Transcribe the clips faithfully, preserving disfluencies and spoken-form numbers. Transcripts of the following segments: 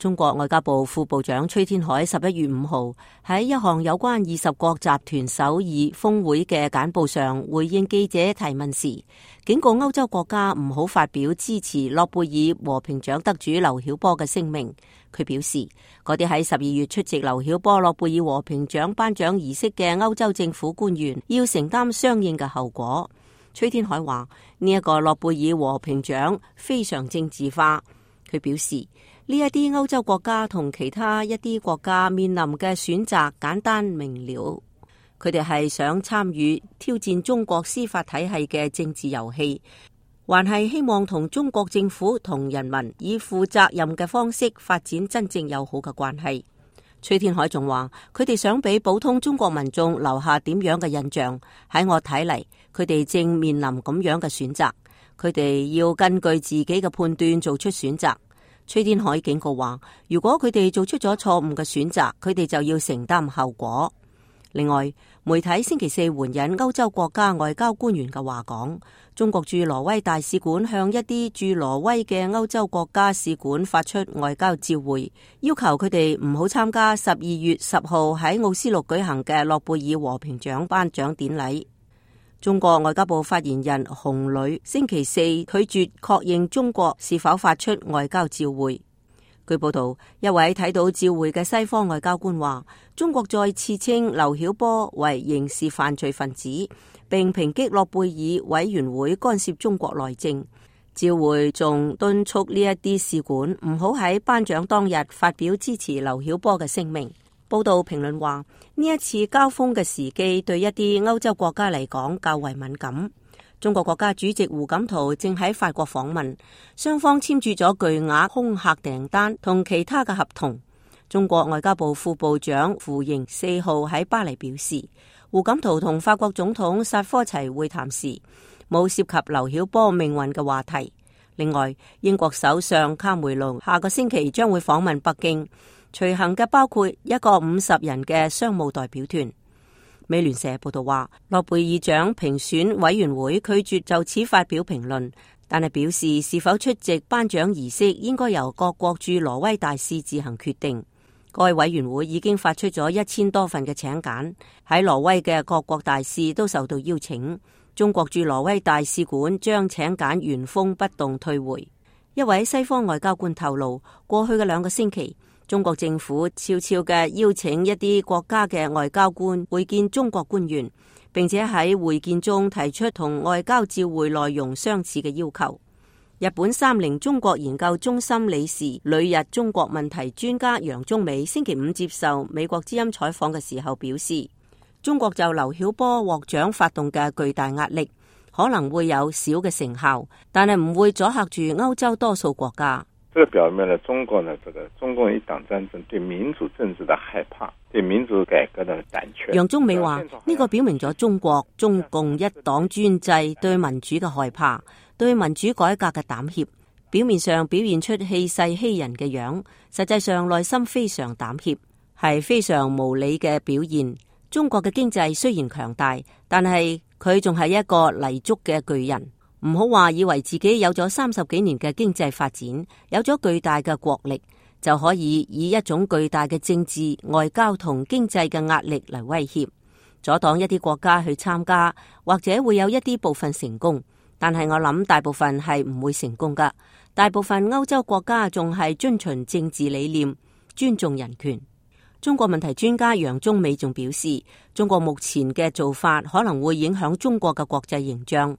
中國外交部副部長崔天凱十一月五號喺一項有關二十國集團首爾峰會嘅簡報上回應記者提問時，警告歐洲國家唔好發表支持諾貝爾和平獎得主劉曉波嘅聲明。佢表示，嗰啲喺十二月出席劉曉波諾貝爾和平獎頒獎儀式嘅歐洲政府官員要承擔相應嘅後果。崔天凱話：呢一個諾貝爾和平獎非常政治化。佢表示，呢一啲歐洲國家同其他一啲國家面臨嘅選擇簡單明了，佢哋係想參與挑戰中國司法體系嘅政治遊戲，還係希望同中國政府同人民以負責任嘅方式發展真正友好嘅關係。崔天凱仲話，佢哋想俾普通中國民眾留下點樣嘅印象？喺我睇嚟，佢哋正面臨咁樣嘅選擇，佢哋要根據自己嘅判斷做出選擇。崔天凱警告話，如果佢哋做出咗錯誤嘅選擇，佢哋就要承擔後果。另外，媒體星期四援引歐洲國家外交官員嘅話講，中國駐挪威大使館向一啲駐挪威嘅歐洲國家使館發出外交照會，要求佢哋唔好參加十二月十號喺奧斯陸舉行嘅諾貝爾和平獎頒獎典禮。中國外交部發言人洪磊星期四拒絕確認中國是否發出外交照會。據報道，一位睇到照會嘅西方外交官話，中國再次稱劉曉波為刑事犯罪分子，並抨擊諾貝爾委員會干涉中國內政。照會仲敦促呢一啲使館唔好喺頒獎當日發表支持劉曉波嘅聲明。報道評論話，呢一次交鋒嘅時機對一啲歐洲國家嚟講較為敏感。中國國家主席胡錦濤正喺法國訪問，雙方簽署咗巨額空客訂單同其他嘅合同。中國外交部副部長傅瑩四號喺巴黎表示，胡錦濤同法國總統薩科齊會談時冇涉及劉曉波命運嘅話題。另外，英國首相卡梅隆下個星期將會訪問北京，隨行嘅包括一個五十人嘅商務代表團。美聯社報道話，諾貝爾獎評選委員會拒絕就此發表評論，但係表示是否出席頒獎儀式應該由各國駐挪威大使自行決定。該委員會已經發出咗一千多份嘅請柬，喺挪威嘅各國大使都受到邀請。中國駐挪威大使館將請柬原封不動退回。一位西方外交官透露，過去嘅兩個星期，中國政府悄悄嘅邀請一啲國家嘅外交官會見中國官員，並且喺會見中提出同外交照會內容相似嘅要求。日本三菱中國研究中心理事、旅日中國問題專家楊中美星期五接受美國之音採訪嘅時候表示，中國就劉曉波獲獎發動嘅巨大壓力可能會有小嘅成效，但係唔會阻嚇住歐洲多數國家。這個表明了中國呢，這個中共一黨專政對民主政治的害怕，對民主改革的膽怯。楊中美話：呢個表明咗中國中共一黨專制對民主嘅害怕，對民主改革嘅膽怯。表面上表現出氣勢欺人嘅樣，實際上內心非常膽怯，係非常無理嘅表現。中國嘅經濟雖然強大，但係佢仲係一個泥足嘅巨人。唔好話以為自己有咗三十幾年嘅經濟發展，有咗巨大嘅國力，就可以以一種巨大嘅政治、外交同經濟嘅壓力嚟威脅，阻擋一啲國家去參加，或者會有一啲部分成功。但係我諗大部分係唔會成功噶。大部分歐洲國家仲係遵循政治理念，尊重人權。中國問題專家楊中美仲表示，中國目前嘅做法可能會影響中國嘅國際形象，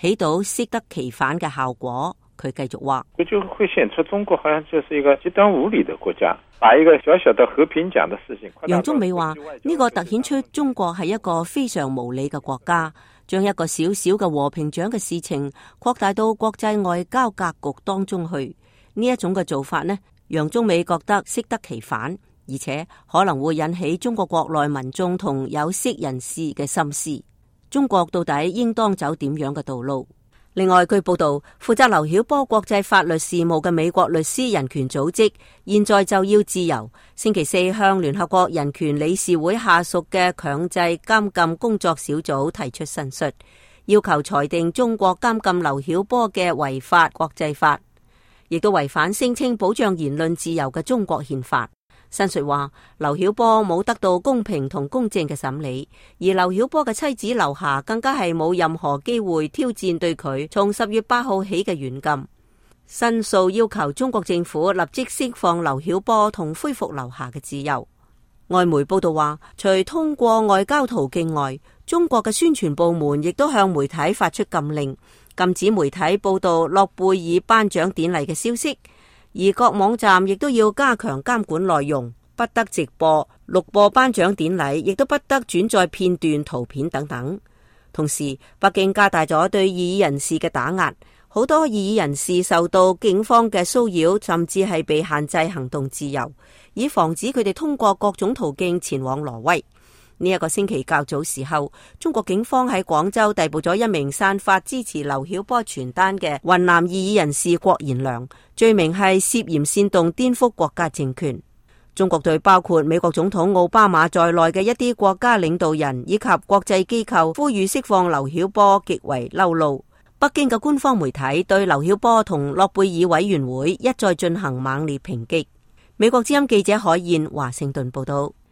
起到適得其反嘅效果。佢繼續話，佢就會顯出中國好像就是一個極端無理的國家，把一個小小的和平獎的事情。楊中美話呢個凸顯出中國係一個非常無理嘅國家，將一個小小嘅和平獎嘅事情擴大到國際外交格局當中去。呢一種嘅做法呢，楊中美覺得適得其反，而且可能會引起中國國內民眾同有識人士嘅心思。中國到底應當走點樣嘅道路？另外，據報道，負責劉曉波國際法律事務嘅美國律師人權組織現在就要自由，星期四向聯合國人權理事會下屬嘅強制監禁工作小組提出申述，要求裁定中國監禁劉曉波嘅違法國際法。亦都違反聲稱保障言論自由嘅中國憲法。申述話，劉曉波冇得到公平同公正嘅審理，而劉曉波嘅妻子劉霞更加係冇任何機會挑戰對佢從十月八號起嘅軟禁。申訴要求中國政府立即釋放劉曉波同恢復劉霞嘅自由。外媒報道話，除通過外交途徑外，中國嘅宣傳部門亦都向媒體發出禁令，禁止媒體報道諾貝爾頒獎典禮嘅消息，而各網站亦都要加強監管內容，不得直播、錄播頒獎典禮，亦都不得轉載片段、圖片等等。同時，北京加大咗對異議人士嘅打壓，好多異議人士受到警方嘅騷擾，甚至係被限制行動自由，以防止佢哋通過各種途徑前往挪威。呢、這、一個星期較早時候，中國警方喺廣州逮捕咗一名散發支持劉曉波傳單嘅雲南異議人士郭賢良，罪名係涉嫌煽動顛覆國家政權。中國對包括美國總統奧巴馬在內嘅一啲國家領導人以及國際機構呼籲釋放劉曉波極為嬲怒。北京嘅官方媒體對劉曉波同諾貝爾委員會一再進行猛烈抨擊。美國之音記者海燕華盛頓報道。